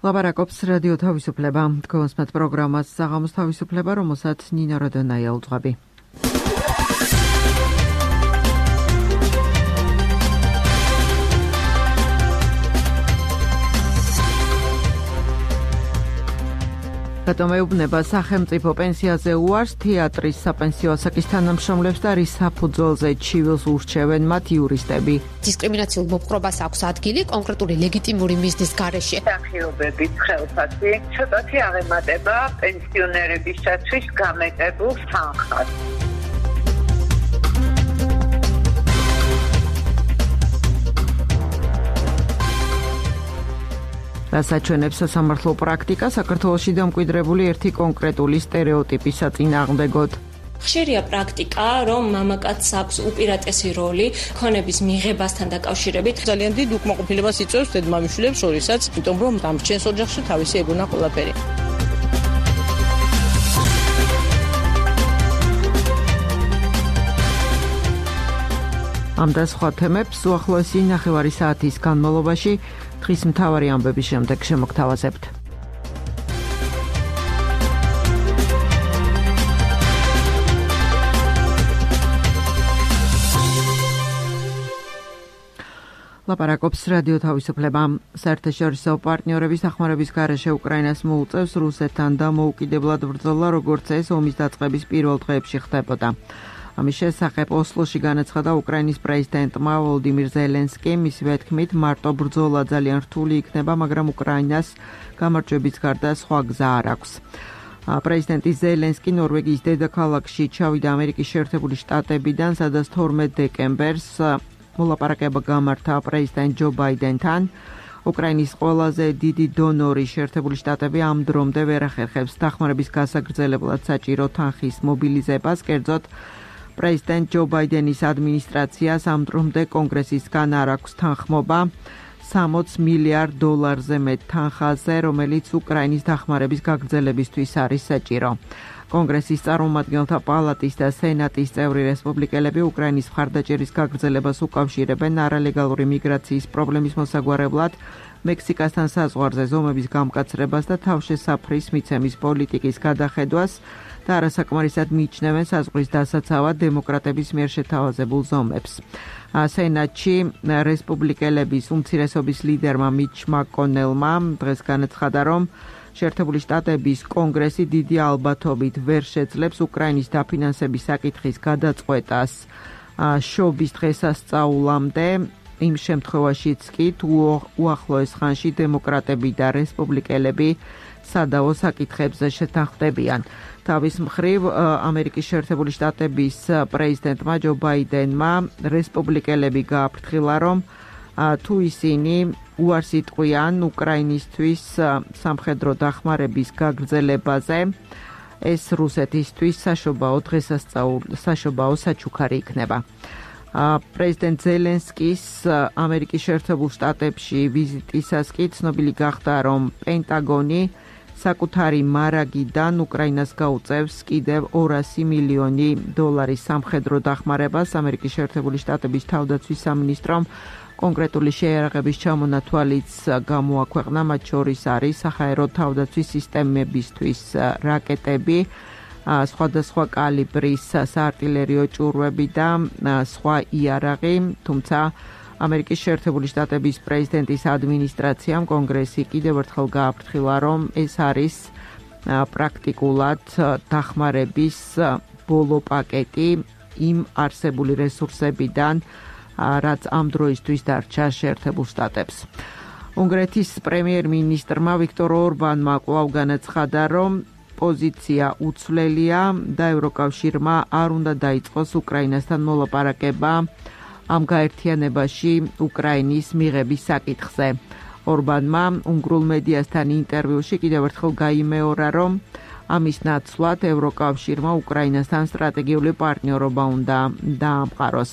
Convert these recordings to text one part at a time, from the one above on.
ლაპარაკობს რადიო თავისუფლება. თქვენს პროგრამას საღამოს თავისუფლება, რომელსაც ნინო როდონაია უძღვები. მეუბნება სახელმწიფო პენსიაზე უარს თეატრის საპენსიო ასაკის თანამშრომლებს და რის საფუძველზე ჩივილს ურჩევენ მათ იურისტები. დისკრიმინაციულ მოპყრობას აქვს ადგილი კონკრეტული ლეგიტიმური მიზნის გარეშე. სახიობების ხელფასი ცოტათი აღემატება პენსიონერებისათვის გამეტებულ თანხას. რასაც სასამართლო პრაქტიკა საქართველოში დამკვიდრებული ერთი კონკრეტული სტერეოტიპის საწინააღმდეგოდ. ხშირია პრაქტიკა, რომ მამაკაცს აქვს უპირატესი როლი ქონების მიღებასთან დაკავშირებით. ძალიან დიდ უკმაყოფილებას იწვევს დედმამიშვილებს შორისაც, იმიტომ რომ დამრჩენს ოჯახში თავისი ეგონა ყველაფერი. ამ და სხვა თემებს უახლოესი ნახევარი საათის განმავლობაში დღის მთავარი ამბების შემდეგ შემოგთავაზებთ. ლაპარაკობს რადიო თავისუფლება. საერთაშორისო პარტნიორების დახმარების გარეშე უკრაინას მოუწევს რუსეთთან დამოუკიდებლად ბრძოლა, როგორც ეს ომის დაწყების პირველ დღეებში ხდებოდა. ამის შესახებ ოსლოში განაცხადა უკრაინის პრეზიდენტმა ვოლოდიმირ ზელენსკიმ. მისივე თქმით, მარტო ბრძოლა ძალიან რთული იქნება, მაგრამ უკრაინას გამარჯვების გარდა სხვა გზა არ აქვს. პრეზიდენტი ზელენსკი ნორვეგიის დედაქალაქში ჩავიდა ამერიკის შეერთებული შტატებიდან, სადაც 12 დეკემბერს მოლაპარაკება გამართა პრეზიდენტ ჯო ბაიდენთან. უკრაინის ყველაზე დიდი დონორი შეერთებული შტატები ამ დრომდე ვერ ახერხებს დახმარების გასაგრძელებლად საჭირო თანხის მობილიზებას, კერძოდ პრეზიდენტ ჯო ბაიდენის ადმინისტრაციას ამ დრომდე კონგრესისგან არ აქვს თანხმობა $60 მილიარდზე მეტ თანხაზე, რომელიც უკრაინის დახმარების გაგრძელებისთვის არის საჭირო. კონგრესის წარმომადგენელთა პალატის და სენატის წევრი რესპუბლიკელები უკრაინის მხარდაჭერის გაგრძელებას უკავშირებენ არალეგალური მიგრაციის პრობლემის მოსაგვარებლად, მექსიკასთან საზღვარზე ზომების გამკაცრებას და თავშესაფრის მიცემის პოლიტიკის გადახედვას და არასაკმარისად მიიჩნევენ საზღვრის დასაცავად დემოკრატების მიერ შეთავაზებულ ზომებს. სენატში რესპუბლიკელების უმცირესობის ლიდერმა მიჩ მაკონელმა დღეს განაცხადა, რომ შეერთებული შტატების კონგრესი დიდი ალბათობით ვერ შეძლებს უკრაინის დაფინანსების საკითხის გადაწყვეტას შობის დღესასწაულამდე, იმ შემთხვევაშიც კი თუ უახლოეს ხანში დემოკრატები და რესპუბლიკელები სადავო საკითხებზე შეთანხმდებიან. თავის მხრივ ამერიკის შეერთებული შტატების პრეზიდენტმა ჯო ბაიდენმა რესპუბლიკელები გააფრთხილა, რომ თუ ისინი უარს იტყვიან უკრაინისთვის სამხედრო დახმარების გაგრძელებაზე, ეს რუსეთისთვის საშობაო საჩუქარი იქნება. პრეზიდენტ ზელენსკის ამერიკის შეერთებულ შტატებში ვიზიტისას კი ცნობილი გახდა, რომ პენტაგონი საკუთარი მარაგიდან უკრაინას გაუწევს კიდევ $200 მილიონი სამხედრო დახმარებას. ამერიკის შეერთებული შტატების თავდაცვის სამინისტრომ კონკრეტული შეიარაღების ჩამონათვალიც გამოაქვეყნა, მათ შორის არის საჰაერო თავდაცვის სისტემებისთვის რაკეტები, სხვადასხვა კალიბრის საარტილერიო ჭურვები და სხვა იარაღი, თუმცა ამერიკის შეერთებული შტატების პრეზიდენტის ადმინისტრაციამ კონგრესი კიდევ ერთხელ გააფრთხილა, რომ ეს არის პრაქტიკულად დახმარების ბოლო პაკეტი იმ არსებული რესურსებიდან, რაც ამ დროისთვის დარჩა შეერთებულ შტატებს. უნგრეთის პრემიერ-მინისტრმა ვიქტორ ორბანმა კვლავ განაცხადა, რომ პოზიცია უცვლელია და ევროკავშირმა არ უნდა დაიწყოს უკრაინასთან მოლაპარაკება ამ გაერთიანებაში უკრაინის მიღების საკითხზე. ორბანმა უნგრულ მედიასთან ინტერვიუში კიდევ ერთხელ გაიმეორა, რომ ამის ნაცვლად ევროკავშირმა უკრაინასთან სტრატეგიული პარტნიორობა უნდა დაამყაროს.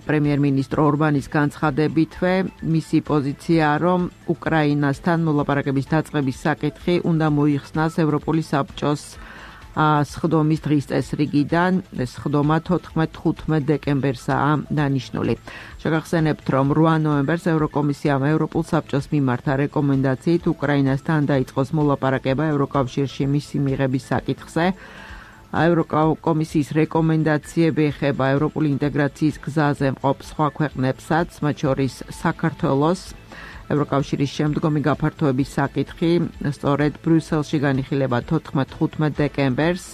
პრემიერ-მინისტრო ორბანის განცხადებითვე მისი პოზიციაა, რომ უკრაინასთან მოლაპარაკების დაწყების საკითხი უნდა მოიხსნას ევროპული საბჭოს სხდომის დღის წესრიგიდან ეს სხდომა 14-15 დეკემბერსაა დანიშნული. შეგახსენებთ, რომ 8 ნოემბერს ევროკომისიამ ევროპულ საბჭოს მიმართა რეკომენდაციით უკრაინასთან დაიწყოს მოლაპარაკება ევროკავშირში მისი მიღების საკითხზე. ევროკომისიის რეკომენდაციები ეხება ევროპული ინტეგრაციის გზაზე მყოფ სხვა ქვეყნებსაც, მათ შორის საქართველოს. ევროკავშირის შემდგომი გაფართოების საკითხი სწორედ ბრიუსელში განიხილება 14-15 დეკემბერს.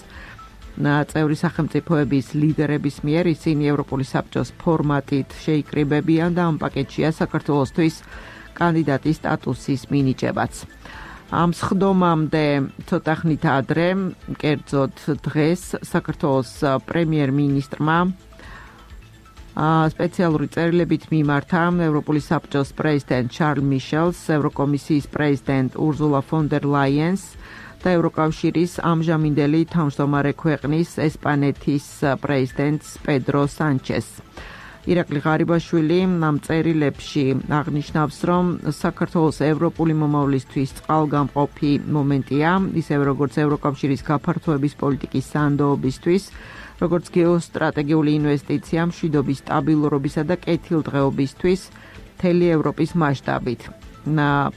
წევრი სახელმწიფოების ლიდერების მიერ ისინი ევროპული საბჭოს ფორმატით შეიკრიბებიან და ამ პაკეტშია საქართველოსთვის კანდიდატის სტატუსის მინიჭებაც. ამ სხდომამდე ცოტა ხნით ადრე, კერძოდ დღეს საქართველოს პრემიერ-მინისტრმა სპეციალური წერილებით მიმართა ევროპული საბჭოს პრეზიდენტ შარლ მიშელს, ევროკომისიის პრეზიდენტ ურზულა ფონ დერ ლაიენს და ევროკავშირის ამჟამინდელი თავმჯდომარე ქვეყნის ესპანეთის პრეზიდენტს პედრო სანჩეს. ირაკლი ღარიბაშვილი ამ წერილებში აღნიშნავს, რომ საქართველოს ევროპული მომავლისთვის წყალგამყოფი მომენტია, ისევე როგორც ევროკავშირის გაფართოების პოლიტიკის სანდოობისთვის, როგორც გეოსტრატეგიული ინვესტიცია მშვიდობის, სტაბილურობისა და კეთილდღეობისთვის მთელი ევროპის მასშტაბით.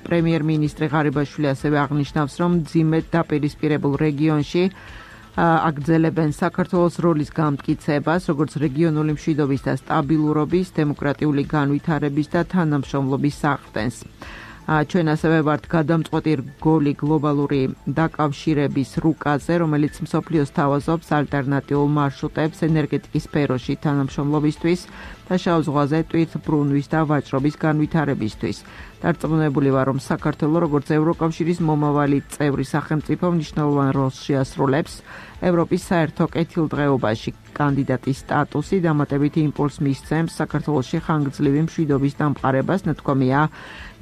პრემიერ-მინისტრი ღარიბაშვილი ასევე აღნიშნავს, რომ მძიმედ დაპირისპირებულ რეგიონში აგრძელებენ საქართველოს როლის გამტკიცებას, როგორც რეგიონული მშვიდობის და სტაბილურობის, დემოკრატიული განვითარების და თანამშრომლობის საყრდენს. ჩვენ ასევე ვართ გადამწყვეტი რგოლი გლობალური დაკავშირების რუკაზე, რომელიც მსოფლიოს თავაზობს ალტერნატიულ მარშრუტებს ენერგეტიკის სფეროში თანამშრომლობისთვის და შავ ზღვაზე ტვირთბრუნვის და ვაჭრობის განვითარებისთვის. დარწმუნებული ვარ, რომ საქართველო როგორც ევროკავშირის მომავალი წევრი სახელმწიფო მნიშვნელოვან როლს შეასრულებს ევროპის საერთო კეთილდღეობაში. კანდიდატის სტატუსი დამატებითი იმპულსს მისცემს საქართველოში ხანგრძლივი მშვიდობის დამყარებას, ნათქვამია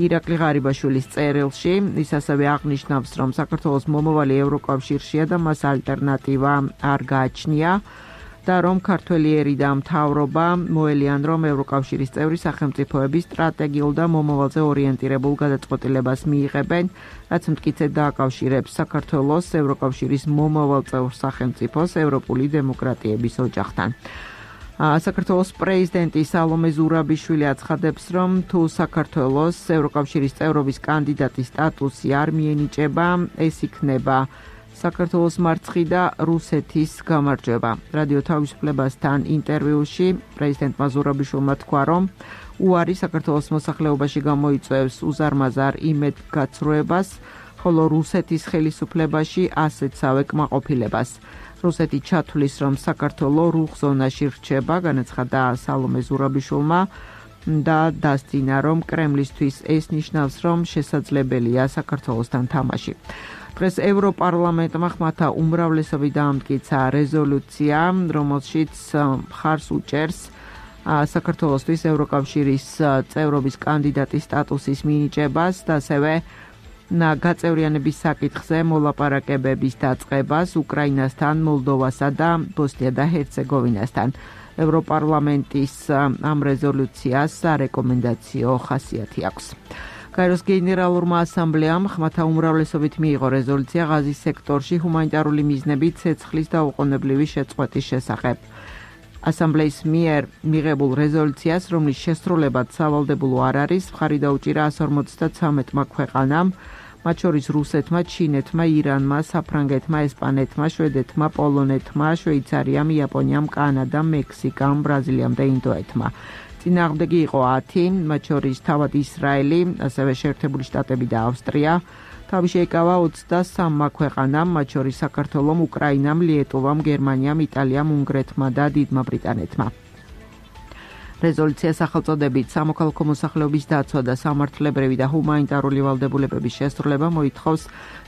ირაკლი ღარიბაშვილის წერილში. ის ასევე აღნიშნავს, რომ საქართველოს მომავალი ევროკავშირშია და მას ალტერნატივა არ გააჩნია და რომ ქართველიერი და მთავრობა მოელიან, რომ ევროკავშირის წევრი სახელმწიფოები სტრატეგიულ და მომავალზე ორიენტირებულ გადაწყვეტილებას მიიღებენ, რაც მტკიცედ დააკავშირებს საქართველოს ევროკავშირის მომავალ წევრ სახელმწიფოს ევროპული დემოკრატიების ოჯახთან. საქართველოს პრეზიდენტი სალომე ზურაბიშვილი აცხადებს, რომ თუ საქართველოს ევროკავშირის წევრობის კანდიდატის სტატუსი არ მიენიჭება, ეს იქნება საქართველოს მარცხი და რუსეთის გამარჯვება. რადიო თავისუფლებასთან ინტერვიუში პრეზიდენტმა ზურაბიშვილმა თქვა, რომ უარი საქართველოს მოსახლეობაში გამოიწვევს უზარმაზარ იმედგაცრუებას, ხოლო რუსეთის ხელისუფლებაში ასეთსავე კმაყოფილებას. რუსეთი ჩათვლის, რომ საქართველო რუხ ზონაში რჩება, განაცხადა სალომე ზურაბიშვილმა და დასძინა, რომ კრემლისთვის ეს ნიშნავს, რომ შესაძლებელია საქართველოსთან თამაში. დღეს ევროპარლამენტმა ხმათა უმრავლესობით დაამტკიცა რეზოლუცია, რომელშიც მხარს უჭერს საქართველოსთვის ევროკავშირის წევრობის კანდიდატის სტატუსის მინიჭებას და ასევე გაწევრიანების საკითხზე მოლაპარაკებების დაწყებას უკრაინასთან, მოლდოვასა და ბოსნია და ჰერცეგოვინასთან. ევროპარლამენტის ამ რეზოლუციას რეკომენდაციო ხასიათი აქვს. კაიროს გენერალურმა ასამბლეამ ხმათა უმრავლესობით მიიღო რეზოლუცია ღაზის სექტორში ჰუმანიტარული მიზნებით ცეცხლის დაუყოვნებლივი შეწყვეტის შესახებ. ასამბლეის მიერ მიღებულ რეზოლუციას, რომლის შესრულებაც სავალდებულო არ არის, მხარი დაუჭირა 153 ქვეყანამ, მათ შორის რუსეთმა, ჩინეთმა, ირანმა, საფრანგეთმა, ესპანეთმა, შვედეთმა, პოლონეთმა, შვეიცარიამ, იაპონიამ, კანადამ, მექსიკამ, ბრაზილიამ და ინდოეთმა. წინააღმდეგი იყო 10, მათ შორის თავად ისრაელი, ასევე შეერთებული შტატები და ავსტრია. თავი შეიკავა 23 ქვეყანამ, მათ შორის საქართველომ, უკრაინამ, ლიეტუვამ, გერმანიამ, იტალიამ, უნგრეთმა და დიდმა ბრიტანეთმა. რეზოლუცია სახელწოდებით სამოქალაქო მოსახლეობის დაცვა და სამართლებრივი და ჰუმანიტარული ვალდებულებების შესრულება მოითხოვს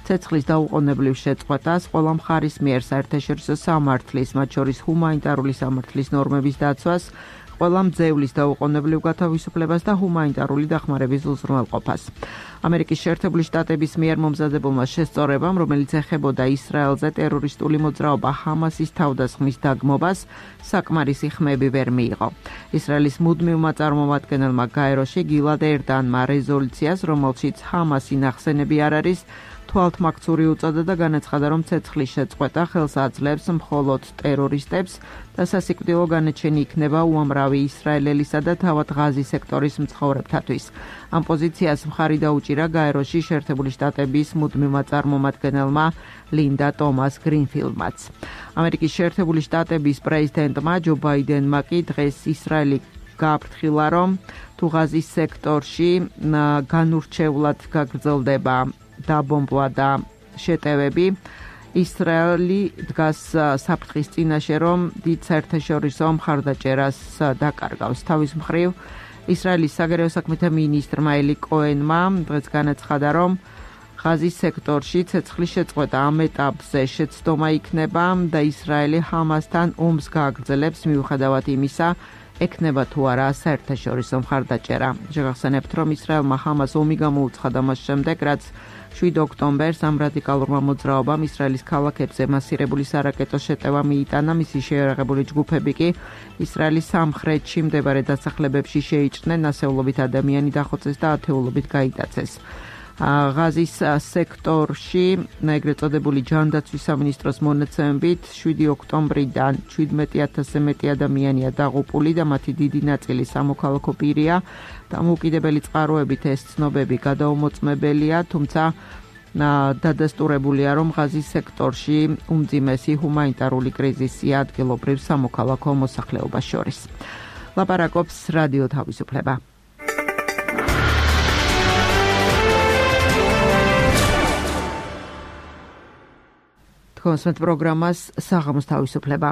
ცეცხლის დაუყოვნებლივ შეწყვეტას ყველა მხარის მიერ საერთაშორისო სამართლის, მათ შორის ჰუმანიტარული სამართლის ნორმების დაცვას, ყველა მძევლის დაუყოვნებლივ გათავისუფლებას და ჰუმანიტარული დახმარების უზრუნველყოფას. ამერიკის შეერთებული შტატების მიერ მომზადებულმა შესწორებამ, რომელიც ეხებოდა ისრაელზე ტერორისტული მოძრაობა ჰამასის თავდასხმის დაგმობას, საკმარისი ხმები ვერ მიიღო. ისრაელის მუდმივმა წარმომადგენელმა გაეროში გილად ერდანმა რეზოლუციას, რომელშიც ჰამასი ნახსენები არ არის, თვალთმაქცური უწოდა და განაცხადა, რომ ცეცხლის შეწყვეტა ხელს აძლევს მხოლოდ ტერორისტებს და სასიკვდილო განაჩენი იქნება უამრავი ისრაელელისა და თავად ღაზის სექტორის მცხოვრებთათვის. ამ პოზიციას მხარი დაუჭირა გაეროში შეერთებული შტატების მუდმივმა წარმომადგენელმა ლინდა ტომას გრინფილდმაც. ამერიკის შეერთებული შტატების პრეზიდენტმა ჯო ბაიდენმა კი დღეს ისრაელი გააფრთხილა, რომ თუ ღაზის სექტორში განურჩევლად გაგრძელდება დაბომბვა და შეტევები, ისრაელი დგას საფრთხის წინაშე, რომ დიდ საერთაშორისო მხარდაჭერას დაკარგავს. თავის მხრივ, ისრაელის საგარეო საქმეთა მინისტრმა ელი კოენმა დღეს განაცხადა, რომ ღაზის სექტორში ცეცხლის შეწყვეტა ამ ეტაპზე შეცდომა იქნება და ისრაელი ჰამასთან ომს გააგრძელებს მიუხედავად იმისა, ექნება თუ არა საერთაშორისო მხარდაჭერა. შეგახსენებთ, რომ ისრაელმა ჰამას ომი გამოუცხადა მას შემდეგ, რაც 7 ოქტომბერს ამ რადიკალურმა მოძრაობამ ისრაელის ქალაქებზე მასირებული სარაკეტო შეტევა მიიტანა, მისი შეიარაღებული ჯგუფები კი ისრაელის სამხრეთში მდებარე დასახლებებში შეიჭრნენ, ასეულობით ადამიანი დახოცეს და ათეულობით გაიტაცეს. ღაზის სექტორში ეგრეთ წოდებული ჯანდაცვის სამინისტროს მონაცემებით 7 ოქტომბრიდან 17,000-ზე მეტი ადამიანია დაღუპული და მათი დიდი ნაწილი სამოქალაქო პირია. დამოუკიდებელი წყაროებით ეს ცნობები გადაუმოწმებელია, თუმცა დადასტურებულია, რომ ღაზის სექტორში უმძიმესი ჰუმანიტარული კრიზისია ადგილობრივ სამოქალაქო მოსახლეობას შორის. ლაპარაკობს რადიო თავისუფლება. კონსმეთ პროგრამას საღამოს თავისუფლება.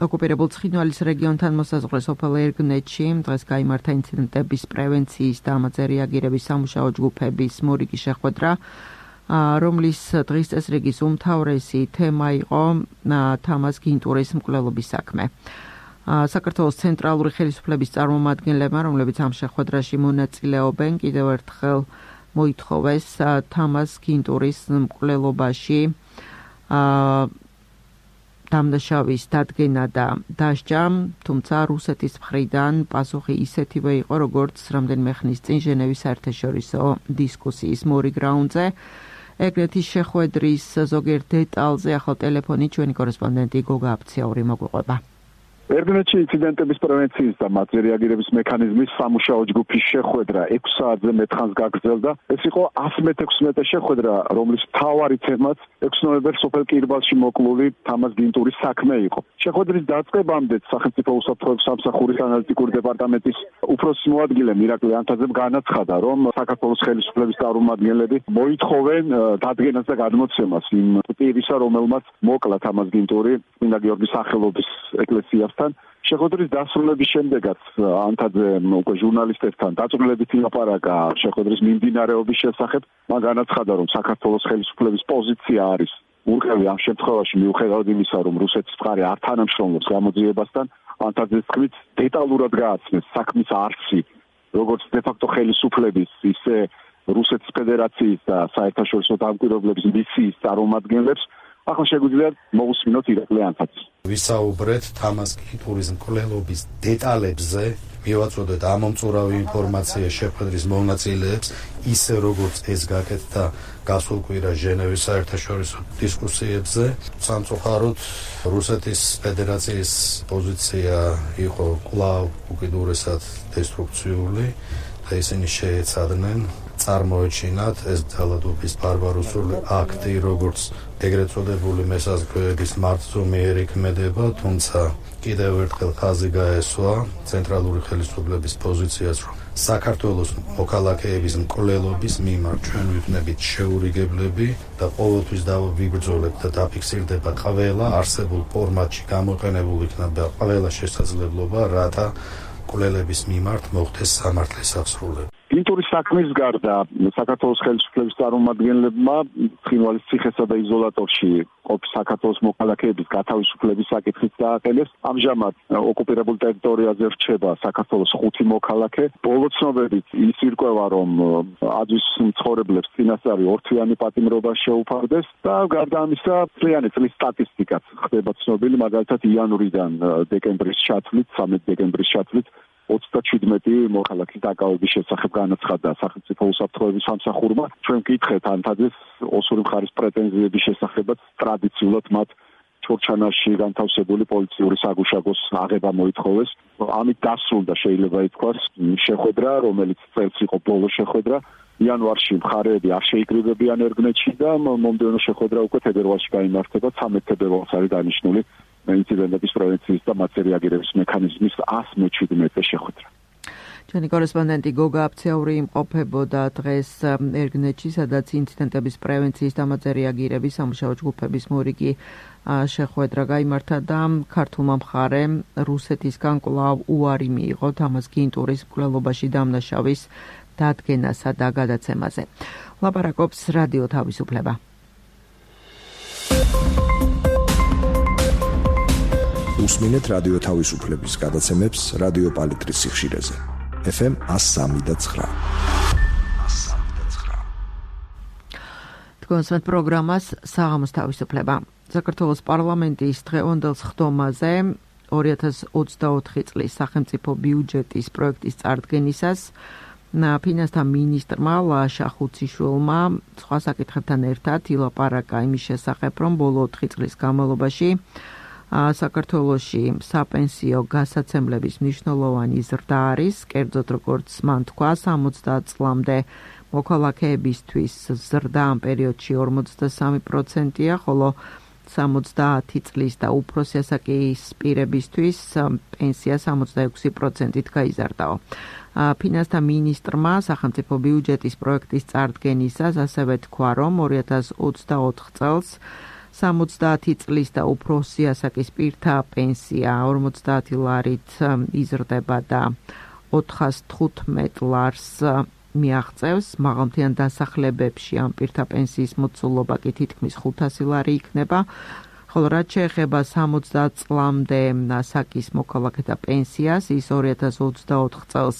ოკუპირებულ ცხინვალის რეგიონთან მოსაზღვრე სოფელ ერგნეთში დღეს გაიმართა ინციდენტების პრევენციის და ამაზე რეაგირების სამუშაო ჯგუფების მორიგი შეხვედრა, რომლის დღის წესრიგის უმთავრესი თემა იყო თამაზ გინტურის მკვლელობის საქმე. საქართველოს ცენტრალური ხელისუფლების წარმომადგენლებმა, რომლებიც ამ შეხვედრაში მონაწილეობენ, კიდევ ერთხელ მოითხოვეს თამაზ გინტურის მკვლელობაში დამნაშავის დადგენა და დასჯა, თუმცა რუსეთის მხრიდან პასუხი ისეთივე იყო, როგორც რამდენიმე ხნის წინ ჟენევის საერთაშორისო დისკუსიის მორიგ რაუნდზე. ეგრეთის შეხვედრის ზოგიერთ დეტალზე ახალ ტელეფონით ჩვენი კორესპონდენტი გოგა აფციაური მოგვიყვება. ერგნეთში ინციდენტების პრევენციის და მათზე რეაგირების მექანიზმის სამუშაო ჯგუფის შეხვედრა 6 საათზე მეტხანს გაგრძელდა. ეს იყო 116-მე შეხვედრა, რომლის მთავარი თემაც 6 ნოემბერს სოფელ კირბალში მოკლული თამაზ გინტურის საქმე იყო. შეხვედრის დაწყებამდე სახელმწიფო უსაფრთხოების სამსახურის ანალიტიკური დეპარტამენტის უფროსის მოადგილე მირაკლი ანთაძემ განაცხადა, რომ საქართველოს ხელისუფლების წარმომადგენლები მოითხოვენ დადგენას და გადმოცემას იმ პირისა, რომელმაც მოკლა თამაზ გინტური წმინდა გიორგის სახელობის ეკლესიას. შეხვედრის დასრულების შემდეგაც ანთაძემ უკვე ჟურნალისტებთან დაწვრილებით ილაპარაკა შეხვედრის მიმდინარეობის შესახებ. მან განაცხადა, რომ საქართველოს ხელისუფლების პოზიცია არის ურყევი ამ შემთხვევაში მიუხედავად იმისა, რომ რუსეთის მხარე არ თანამშრომლობს გამოძიებასთან. ანთაძეს თქმით, დეტალურად გააცნეს საქმის არსი, როგორც დე-ფაქტო ხელისუფლების, ისე რუსეთის ფედერაციის და საერთაშორისო დამკვირვებლების მისიის წარმომადგენლებს. ახლა შეგვიძლია მოусმინოთ ირაკლი ანთაძეს. ვისაუბრეთ თამაზ გინტურის მკვლელობის დეტალებზე, მივაწოდეთ ამომწურავი ინფორმაცია შეხვედრის მონაწილეებს, ისე როგორც ეს გაკეთდა გასულ კვირა ჟენევის საერთაშორისო დისკუსიებზე. სამწუხაროდ რუსეთის ფედერაციის პოზიცია იყო კვლავ უკიდურესად დესტრუქციული და ისინი შეეცადნენ წარმოეჩინათ ეს ძალადობის ბარბაროსული აქტი, როგორც ეგრეთ წოდებული მესაზღვრეების მართლმსომიერი ქმედება, თუმცა კიდევ ერთხელ ხაზი გაესვა ცენტრალური ხელისუფლების პოზიციას, რომ საქართველოს მოქალაქეების მკვლელობის მიმართ ჩვენ ვიქნებით შეურიგებლები და ყოველთვის დავიბრძოლებთ და დაფიქსირდება ყველა არსებულ ფორმატში გამოყენებულ იქნება ყველა შესაძლებლობა, რათა მკვლელების მიმართ მოხდეს სამართლის აღსრულება. გინტურის საქმის გარდა საქართველოს ხელისუფლების წარმომადგენლებმა ცხინვალის ციხესა და იზოლატორში ყოფი საქართველოს მოქალაქეების გათავისუფლების საკითხიც დააყენეს. ამჟამად ოკუპირებულ ტერიტორიაზე რჩება საქართველოს 5 მოქალაქე. ბოლო ცნობებით ის ირკვევა, რომ აძვის მცხოვრებლებს წინასწარი ორთვიანი პატიმრობა შეუფარდეს და გარდა ამისა წლიანი წლის სტატისტიკაც ხდება ცნობილი, მაგალითად იანვრიდან დეკემბრის ჩათვლით, 13 დეკემბრის ჩათვლით 37 მოქალაქის დაკავების შესახებ განაცხადა სახელმწიფო უსაფრთხოების სამსახურმა. ჩვენ გითხეთ ანთაძეს ოსური მხარის პრეტენზიების შესახებაც ტრადიციულად მათ ჩორჩანაში განთავსებული პოლიციური საგუშაგოს აღება მოითხოვეს. ამით დასრულდა შეიძლება ითქვას შეხვედრა, რომელიც წელს იყო ბოლო შეხვედრა. იანვარში მხარეები არ შეიკრიბებიან ერგნეთში და მომდევნო შეხვედრა უკვე თებერვალში გაიმართება. 13 თებერვალს არის დანიშნული ინციდენტების პრევენციის და მათზე რეაგირების მექანიზმის 117 შეხვედრა. ჩვენი კორესპონდენტი გოგა აფციური იმყოფებოდა დღეს ერგნეთში, სადაც ინციდენტების პრევენციის და მათზე რეაგირების სამუშაო ჯგუფების მორიგი შეხვედრა გაიმართა და ქართულმა მხარემ რუსეთისგან კვლავ უარი მიიღო თამაზ გინტურის მკვლელობაში დამნაშავის დადგენასა და გადაცემაზე. ლაპარაკობს რადიო თავისუფლება. უსმინეთ რადიო თავისუფლების გადაცემებს რადიო პალიტრის სიხშირეზე. FM 103.9. თქვენსმეთ პროგრამას საღამოს თავისუფლება. საქართველოს პარლამენტის დღევანდელ სხდომაზე 2024 წლის სახელმწიფო ბიუჯეტის პროექტის წარდგენისას ფინანსთა მინისტრმა ლაშა ხუციშვილმა სხვა საკითხებთან ერთად ილაპარაკა იმის შესახებ, რომ ბოლო 4 წლის განმავლობაში საქართველოში საპენსიო გასაცემლების მნიშვნელოვანი ზრდა არის, კერძოდ როგორც მან თქვა, 60 წლამდე მოქალაქეებისთვის ზრდა ამ პერიოდში 43%-ია, ხოლო 70 წლის და უფროსი ასაკის პირებისთვის პენსია 66%-ით გაიზარდაო. ფინანსთა მინისტრმა სახელმწიფო ბიუჯეტის პროექტის წარდგენისას ასევე თქვა, რომ 2024 წელს 70 წლის და უფროსი ასაკის პირთა პენსია 50 ლარით იზრდება და 415 ლარს მიაღწევს. მაღალმთიან დასახლებებში ამ პირთა პენსიის მოცულობა კი თითქმის 500 ლარი იქნება. ხოლო რაც შეეხება 60 წლამდე ასაკის მოქალაქეთა პენსიას, ის 2024 წელს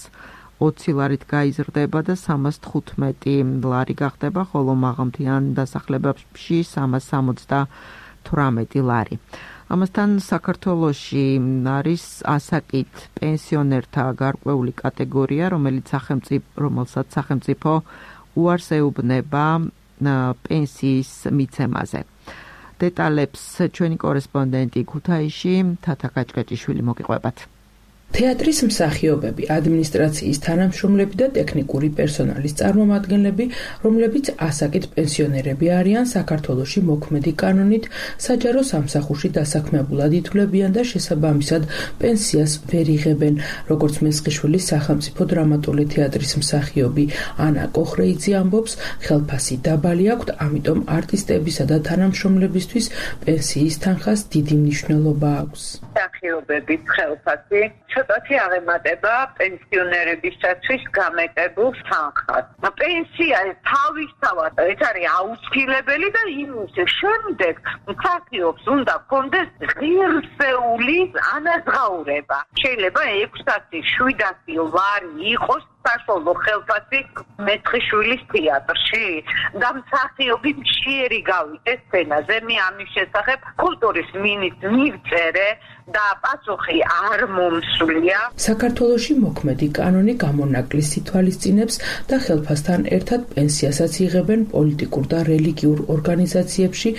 20 ლარით გაიზრდება და 315 ლარი გახდება, ხოლო მაღალმთიან დასახლებებში 378 ლარი. ამასთან საქართველოში არის ასაკით პენსიონერთა გარკვეული კატეგორია, რომელსაც სახელმწიფო უარს ეუბნება პენსიის მიცემაზე. დეტალებს ჩვენი კორესპონდენტი ქუთაისში თათა კაჭკაჭიშვილი მოგიყვებათ. თეატრის მსახიობები, ადმინისტრაციის თანამშრომლები და ტექნიკური პერსონალის წარმომადგენლები, რომლებიც ასაკით პენსიონერები არიან, საქართველოში მოქმედი კანონით საჯარო სამსახურში დასაქმებულად ითვლებიან და შესაბამისად პენსიას ვერ იღებენ. როგორც მესხიშვილის სახელმწიფო დრამატული თეატრის მსახიობი ანა კოხრეიძე ამბობს, ხელფასი დაბალი აქვთ, ამიტომ არტისტებისა და თანამშრომლებისთვის პენსიის თანხას დიდი მნიშვნელობა აქვს. მსახიობების ხელფასი ცოტათი აღემატება პენსიონერებისათვის გამეტებულ თანხას. პენსია თავისთავად ეს არის აუცილებელი და იმის შემდეგ მსახიობს უნდა კონდეს ღირსეული ანაზღაურება. შეიძლება 600-700 ლარი იყოს საშუალო ხელფასი მესხიშვილის თეატრში და მსახიობი მშიერი გავიდეს სცენაზე. მე ამის შესახებ კულტურის მინისტრს მივწერე და პასუხი არ მომსვლია. საქართველოში მოქმედი კანონი გამონაკლის ითვალისწინებს და ხელფასთან ერთად პენსიასაც იღებენ პოლიტიკურ და რელიგიურ ორგანიზაციებში,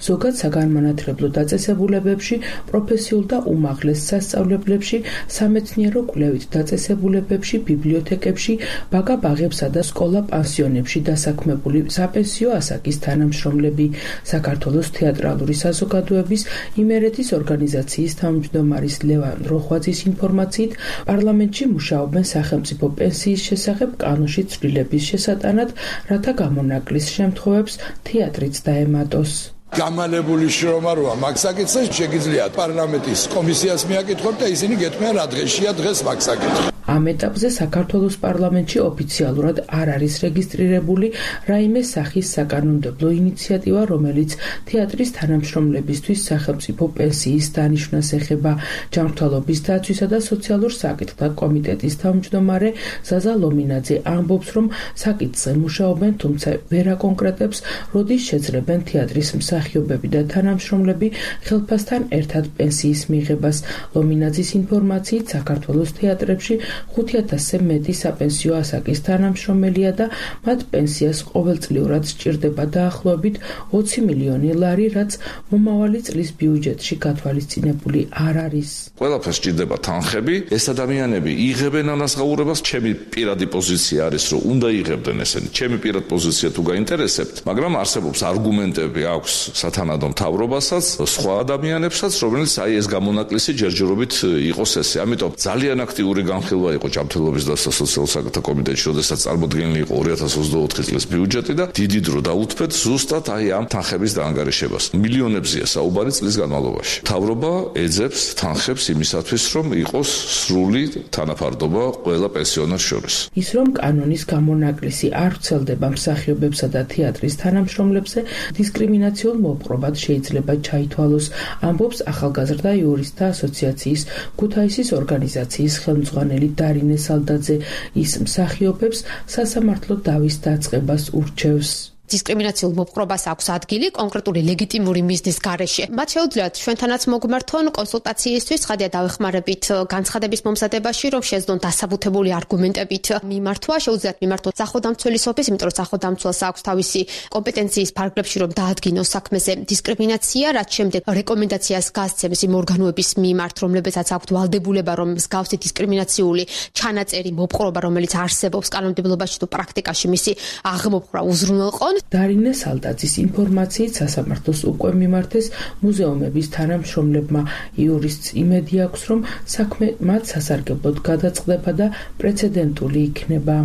ზოგად საგანმანათლებლო დაწესებულებებში, პროფესიულ და უმაღლეს სასწავლებლებში, სამეცნიერო კვლევით დაწესებულებებში, ბიბლიოთეკებში, ბაგა-ბაღებსა და სკოლა-პანსიონებში დასაქმებული საპენსიო ასაკის თანამშრომლები. საქართველოს თეატრალური საზოგადოების იმერეთის ორგანიზაციის თავმჯდომარის ლევან როხვაძის ინფორმაციით, პარლამენტში მუშაობენ სახელმწიფო პენსიის შესახებ კანონში ცვლილების შესატანად, რათა გამონაკლის შემთხვევებს თეატრიც დაემატოს. გამალებული შრომა როა მაგ საკითხზე შეგიძლიათ პარლამენტის კომისიას მიაკითხოთ და ისინი გეტყვიან რა დღეშია დღეს მაგ საკითხი. ამ ეტაპზე საქართველოს პარლამენტში ოფიციალურად არ არის რეგისტრირებული რაიმე სახის საკანონმდებლო ინიციატივა, რომელიც თეატრის თანამშრომლებისთვის სახელმწიფო პენსიის დანიშვნას ეხება. ჯანმრთელობის დაცვისა და სოციალურ საკითხთა კომიტეტის თავმჯდომარე ზაზა ლომინაძე ამბობს, რომ საკითხზე მუშაობენ, თუმცა ვერ აკონკრეტებს, როდის შეძლებენ თეატრის მსახიობები და თანამშრომლები ხელფასთან ერთად პენსიის მიღებას. ლომინაძის ინფორმაციით, საქართველოს თეატრებში 5000-ზე მეტი საპენსიო ასაკის თანამშრომელია და მათ პენსიას ყოველწლიურად სჭირდება დაახლოებით 20 მილიონი ლარი, რაც მომავალი წლის ბიუჯეტში გათვალისწინებული არ არის. ყველაფერს სჭირდება თანხები, ეს ადამიანები იღებენ ანაზღაურებას, ჩემი პირადი პოზიცია არის, რომ უნდა იღებდნენ ესენი. ჩემი პირადი პოზიცია თუ გაინტერესებთ, მაგრამ არსებობს არგუმენტები აქვს სათანადო მთავრობასაც, სხვა ადამიანებსაც, რომელიც ეს გამონაკლისი ჯერჯერობით იყოს ესე. ამიტომ ძალიან აქტიური განხილვა იყო ჯანმრთელობის და სოციალურ საკითხთა კომიტეტში, როდესაც წარმოდგენილი იყო 2024 წლის ბიუჯეტი და დიდი დრო დაუთმეთ ზუსტად ამ თანხების დაანგარიშებას. მილიონებზეა საუბარი წლის განმავლობაში. მთავრობა ეძებს თანხებს იმისათვის, რომ იყოს სრული თანაფარდობა ყველა პენსიონერს შორის. ის რომ კანონის გამონაკლისი არ ვრცელდება მსახიობებსა და თეატრის თანამშრომლებზე, დისკრიმინაციულ მოპყრობად შეიძლება ჩაითვალოს, ამბობს ახალგაზრდა იურისტთა ასოციაციის ქუთაისის ორგანიზაციის ხელმძღვანელი დარინე სალდაძე. ის მსახიობებს სასამართლო დავის დაწყებას ურჩევს. დისკრიმინაციულ მოპყრობას აქვს ადგილი კონკრეტული ლეგიტიმური მიზნის გარეშე. მათ შეუძლიათ ჩვენთანაც მოგმართონ კონსულტაციისთვის, ცხადია დავეხმარებით განცხადების მომზადებაში, რომ შეძლონ დასაბუთებული არგუმენტებით მიმართვა, შეუძლიათ მიმართოთ სახელმწიფოს ოფისს, იმიტომ რომ სახელმწიფოს აქვს თავისი კომპეტენციის ფარგლებში, რომ დაადგინოს საქმეზე დისკრიმინაცია, რაც შემდეგ რეკომენდაციას გასცემს იმ ორგანოების მიმართ, რომლებსაც აქვთ ვალდებულება, რომ მსგავსი დისკრიმინაციული ჩანაწერი მოპყრობა, რომელიც არსებობს კანონმდებლობაში თუ პრაქტიკაში, მისი აღმოფხვრა უზრუნველყონ. დარინე სალდაძის ინფორმაციით სასამართლოს უკვე მიმართეს მუზეუმების თანამშრომლებმა. იურისტს იმედი აქვს, რომ საქმე მათ სასარგებლოდ გადაწყდება და პრეცედენტული იქნება.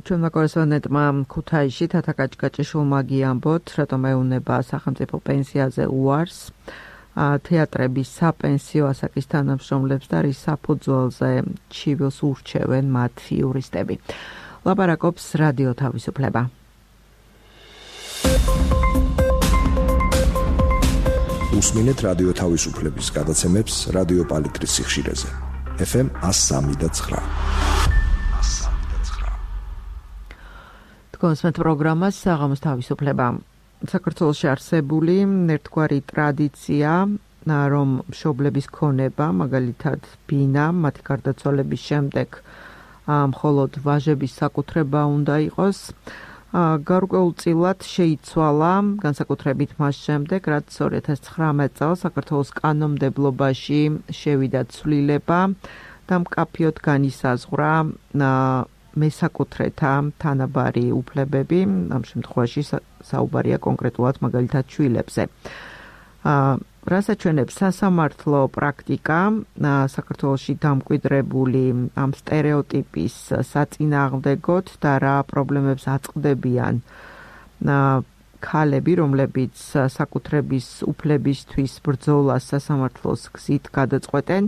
ჩვენმა კორესპონდენტმა ქუთაისში თათა კაჭკაჭიშვილმა გიამბოთ, რატომ ეუნება სახელმწიფო პენსიაზე უარს თეატრების საპენსიო ასაკის თანამშრომლებს და რის საფუძველზე ჩივილს ურჩევენ მათ იურისტები. ლაპარაკობს რადიო თავისუფლება. უსმინეთ რადიო თავისუფლების გადაცემებს რადიო პალიტრის სიხშირეზე. FM 103.9. თქვენს პროგრამას საღამოს თავისუფლება. საქართველოში არსებული ერთგვარი ტრადიცია, რომ მშობლების ქონება, მაგალითად ბინა, მათი გარდაცვალების შემდეგ მხოლოდ ვაჟების საკუთრება უნდა იყოს. გარკვეულწილად შეიცვალა განსაკუთრებით მას შემდეგ, რაც 2019 წელს საქართველოს კანონმდებლობაში შევიდა ცვლილება და მკაფიოდ განისაზღვრა მესაკუთრეთა თანაბარი უფლებები, ამ შემთხვევაში საუბარია კონკრეტულად მაგალითად შვილებზე. რას აჩვენებს სასამართლო პრაქტიკა საქართველოში დამკვიდრებული ამ სტერეოტიპის საწინააღმდეგოდ და რა პრობლემებს აწყდებიან ქალები, რომლებიც საკუთრების უფლებისთვის ბრძოლას სასამართლოს გზით გადაწყვეტენ.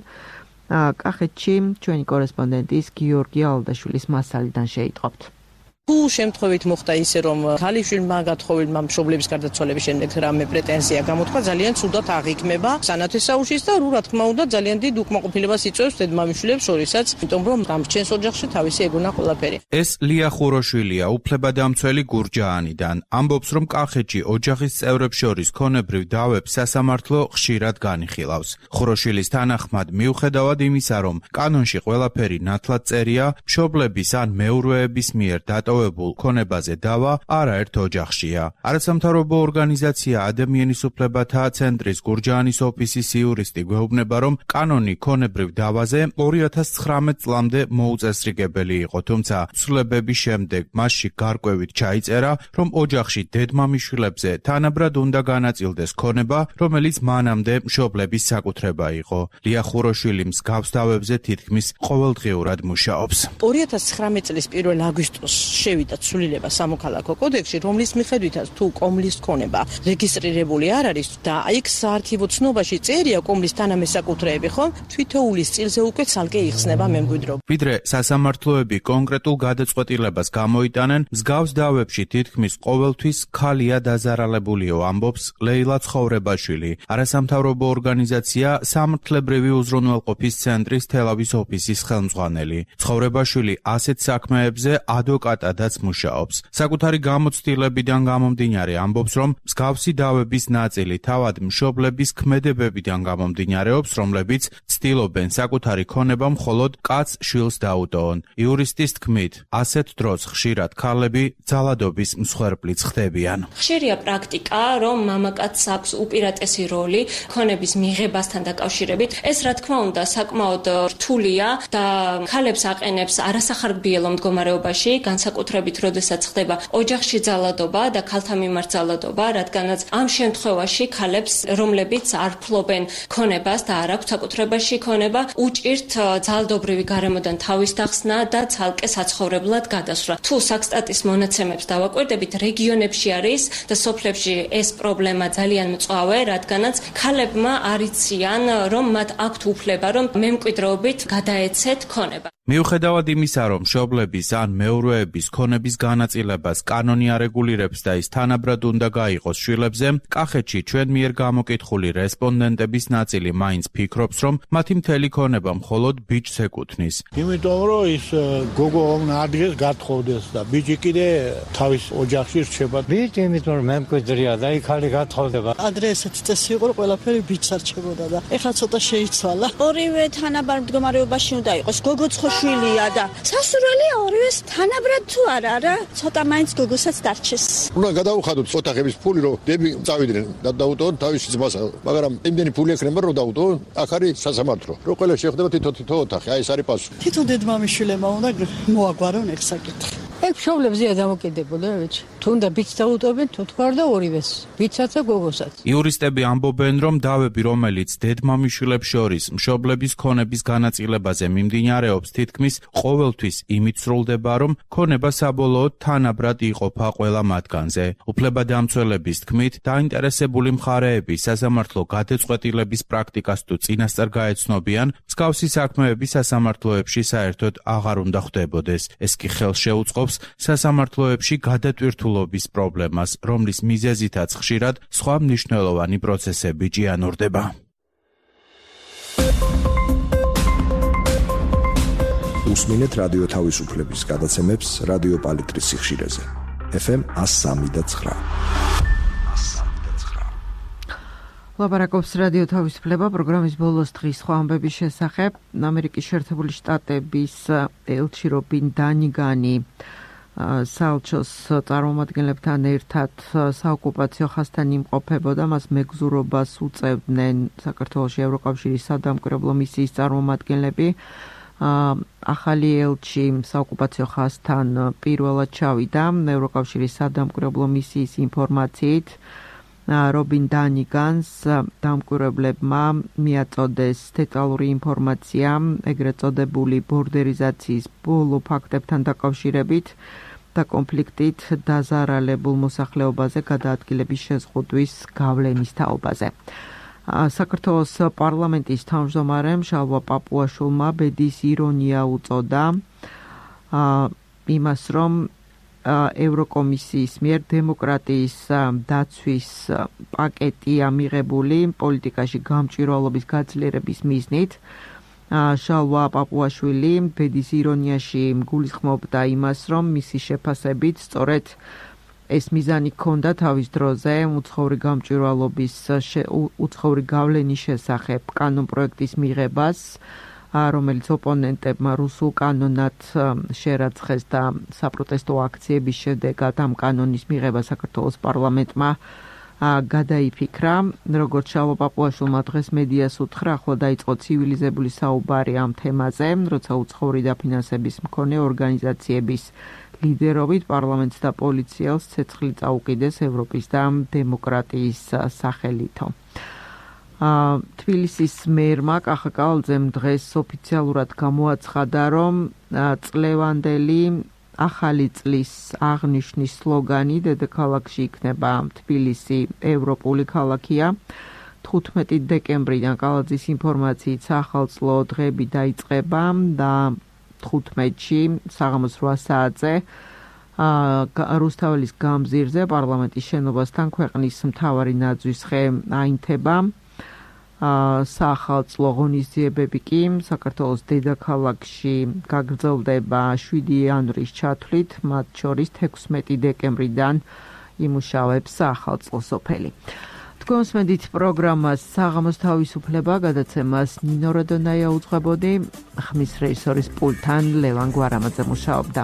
კახეთში ჩვენი კორესპონდენტის გიორგი ალდაშვილის მასალიდან შეიტყობთ. თუ შემთხვევით მოხდა ისე, რომ ქალიშვილმა გათხოვილმა მშობლების გარდაცვალების შემდეგ რამე პრეტენზია გამოთქვა, ძალიან ცუდად აღიქმება სანათესაუშის და რა თქმა უნდა ძალიან დიდ უკმაყოფილებას იწვევს დედმამიშვილებს შორისაც, იმიტომ რომ დამრჩენს ოჯახში თავისი ეგონა ყველაფერი. ეს ლია ხუროშვილია, უფლებადამცველი გურჯაანიდან. ამბობს, რომ კახეთში ოჯახის წევრებს შორის ქონებრივ დავებს სასამართლო ხშირად განიხილავს. ხუროშვილის თანახმად, მიუხედავად იმისა, რომ კანონში ყველაფერი ნათლად წერია, მშობლების ან მეურვეების მიერ დატოვებული ქონებაზე დავა არაერთ ოჯახშია. არასამთავრობო ორგანიზაცია ადამიანის უფლებათა ცენტრის გურჯაანის ოფისის იურისტი გვეუბნება, რომ კანონი ქონებრივ დავაზე 2019 წლამდე მოუწესრიგებელი იყო, თუმცა ცვლილებების შემდეგ მასში გარკვევით ჩაიწერა, რომ ოჯახში დედმამიშვილებზე თანაბრად უნდა განაწილდეს ქონება, რომელიც მანამდე მშობლების საკუთრება იყო. ლია ხუროშვილი მსგავს დავებზე თითქმის ყოველდღიურად მუშაობს. 2019 წლის 1 აგვისტოს შევიდა ცვლილება სამოქალაქო კოდექსში, რომლის მიხედვითაც თუ კომლის ქონება რეგისტრირებული არ არის და იქ საარქივო ცნობაში წერია კომლის თანამესაკუთრეები, ხომ თვითოულის წილზე უკვე ცალკე იხსნება მემკვიდრეობა. ვიდრე სასამართლოები კონკრეტულ გადაწყვეტილებას გამოიტანენ, მსგავს დავებში თითქმის ყოველთვის ქალია დაზარალებულიო, ამბობს ლეილა ცხოვრებაშვილი, არასამთავრობო ორგანიზაცია სამართლებრივი უზრუნველყოფის ცენტრის თელავის ოფისის ხელმძღვანელი. ცხოვრებაშვილი ასეთ საქმეებზე ადვოკატად მეტადაც მუშაობს. საკუთარი გამოცდილებიდან გამომდინარე ამბობს, რომ მსგავსი დავების ნაწილი თავად მშობლების ქმედებებიდან გამომდინარეობს, რომლებიც ცდილობენ საკუთარი ქონება მხოლოდ კაც შვილს დაუტოვონ. იურისტის თქმით, ასეთ დროს ხშირად ქალები ძალადობის მსხვერპლიც ხდებიან. ხშირია პრაქტიკა, რომ მამაკაცს აქვს უპირატესი როლი ქონების მიღებასთან დაკავშირებით. ეს რა თქმა უნდა საკმაოდ რთულია და ქალებს აყენებს არასახარბიელო მდგომარეობაში, განსაკუთრებით როდესაც ხდება ოჯახში ძალადობა და ქალთა მიმართ ძალადობა, რადგანაც ამ შემთხვევაში ქალებს, რომლებიც არ ფლობენ ქონებას და არ აქვთ საკუთრებაში ქონება, უჭირთ ძალადობრივი გარემოდან თავის დახსნა და ცალკე საცხოვრებლად გადასვლა. თუ საქსტატის მონაცემებს დავაკვირდებით, რეგიონებში არის და სოფლებში ეს პრობლემა ძალიან მწვავე, რადგანაც ქალებმა არ იციან, რომ მათ აქვთ უფლება, რომ მემკვიდრეობით გადაეცეთ ქონება. მიუხედავად იმისა, რომ მშობლების ან მეურვეების ქონების განაწილებას კანონი არეგულირებს და ის თანაბრად უნდა გაიყოს შვილებზე, კახეთში ჩვენ მიერ გამოკითხული რესპონდენტების ნაწილი მაინც ფიქრობს, რომ მათი მთელი ქონება მხოლოდ ბიჭს ეკუთვნის. იმიტომ რომ ის გოგო ადგეს გათხოვდეს და ბიჭი კიდე თავის ოჯახში რჩება. ბიჭი იმიტომ რომ მემკვიდრეა და იქალი გათხოვდება. ადრე ესეთი წესი იყო, რომ ყველაფერი ბიჭს არჩებოდა და ეხლა ცოტა შეიცვალა. ორივე თანაბარ მდგომარეობაში უნდა იყოს. გოგოც შვილია და სასურველი ორივეს თანაბრად თუ არა რა, ცოტა მაინც გოგოსაც დარჩეს. უნდა გადაუხადოთ ოთახების ფული, რომ დები წავიდნენ და დაუტოვონ თავის ძმასა, მაგრამ იმდენი ფული ექნება, რომ დაუტოვონ, აქ არის სასამართლო. რო ყველა შეხვდება თითო ოთახი, აი ეს არის პასუხი. თვითონ დედმამიშვილებმა უნდა მოაგვარონ ეს საკითხი. ეგ მშობლებზეა დამოკიდებული, ბიჭი. თუნდა ბიჭს დაუტოვებენ, თუ თქვა და ორივეს, ბიჭსაც და გოგოსაც. იურისტები ამბობენ, რომ დავები, რომელიც დედმამიშვილებს შორის მშობლების ქონების განაწილებაზე მიმდინარეობს, თითქმის ყოველთვის იმით სრულდება, რომ ქონება საბოლოოდ თანაბრად იყოფა ყველა მათგანზე. უფლებადამცველების თქმით, დაინტერესებული მხარეები სასამართლო გადაწყვეტილების პრაქტიკას თუ წინასწარ გაეცნობიან, მსგავსი საქმეები სასამართლოებში საერთოდ აღარ უნდა ხდებოდეს. ეს კი ხელს შეუწყობს სასამართლოებში გადატვირთულობის პრობლემას, რომლის მიზეზითაც ხშირად სხვა მნიშვნელოვანი პროცესები ჭიანურდება. უსმინეთ რადიო თავისუფლების გადაცემებს რადიო პალიტრის სიხშირეზე. FM 103.9. ლაპარაკობს რადიო თავისუფლება პროგრამის ბოლოს დღის სხვა ამბების შესახებ. ამერიკის შეერთებული შტატების ელჩი რობინ დანიგანი საელჩოს წარმომადგენლებთან ერთად საოკუპაციო ხაზთან იმყოფებოდა, მას მეგზურობას უწევდნენ საქართველოში ევროკავშირის სადამკვირვებლო მისიის წარმომადგენლები. ახალი ელჩი საოკუპაციო ხაზთან პირველად ჩავიდა ევროკავშირის სადამკვირვებლო მისიის ინფორმაციით. რობინ დანიგანს დამკვირვებლებმა მიაწოდეს დეტალური ინფორმაცია ეგრეთ წოდებული ბორდერიზაციის ბოლო ფაქტებთან დაკავშირებით და კონფლიქტით დაზარალებულ მოსახლეობაზე გადაადგილების შეზღუდვის გავლენის თაობაზე. საქართველოს პარლამენტის თავმჯდომარემ შალვა პაპუაშვილმა ბედის ირონია უწოდა იმას, რომ ევროკომისიის მიერ დემოკრატიის დაცვის პაკეტია მიღებული პოლიტიკაში გამჭვირვალობის გაძლიერების მიზნით. შალვა პაპუაშვილი ბედის ირონიაში გულისხმობდა იმას, რომ მისი შეფასებით სწორედ ეს მიზანი ჰქონდა თავის დროზე უცხოური გამჭვირვალობის უცხოური გავლენის შესახებ კანონპროექტის მიღებას, რომელიც ოპონენტებმა რუსულ კანონად შერაცხეს და საპროტესტო აქციების შედეგად ამ კანონის მიღება საქართველოს პარლამენტმა გადაიფიქრა. როგორც შალვა პაპუაშვილმა დღეს მედიას უთხრა, ახლა დაიწყო ცივილიზებული საუბარი ამ თემაზე, როცა უცხოური დაფინანსების მქონე ორგანიზაციების ლიდერობით პარლამენტს და პოლიციელს ცეცხლი წაუკიდეს ევროპის და დემოკრატიის სახელითო. თბილისის მერმა კახა კავალძემ დღეს ოფიციალურად გამოაცხადა, რომ წლევანდელი ახალი წლის აღნიშვნის სლოგანი დედაქალაქში იქნება თბილისი ევროპული ქალაქია. 15 დეკემბრიდან კალაძის ინფორმაციით სახალხო დღეები დაიწყება და 15-ში საღამოს 8 საათზე რუსთაველის გამზირზე პარლამენტის შენობასთან ქვეყნის მთავარი ნაძვის ხე აინთება. საახალწლო ღონისძიებები კი საქართველოს დედაქალაქში გაგრძელდება 7 იანვრის ჩათვლით, მათ შორის 16 დეკემბრიდან იმუშავებს საახალწლო სოფელი. თქვენს მედით პროგრამას საღამოს თავისუფლება გადაცემას ნინო როდონაია უძღვებოდი, ხმის რეჟისორის პულტთან ლევან გვარამაძე მუშაობდა.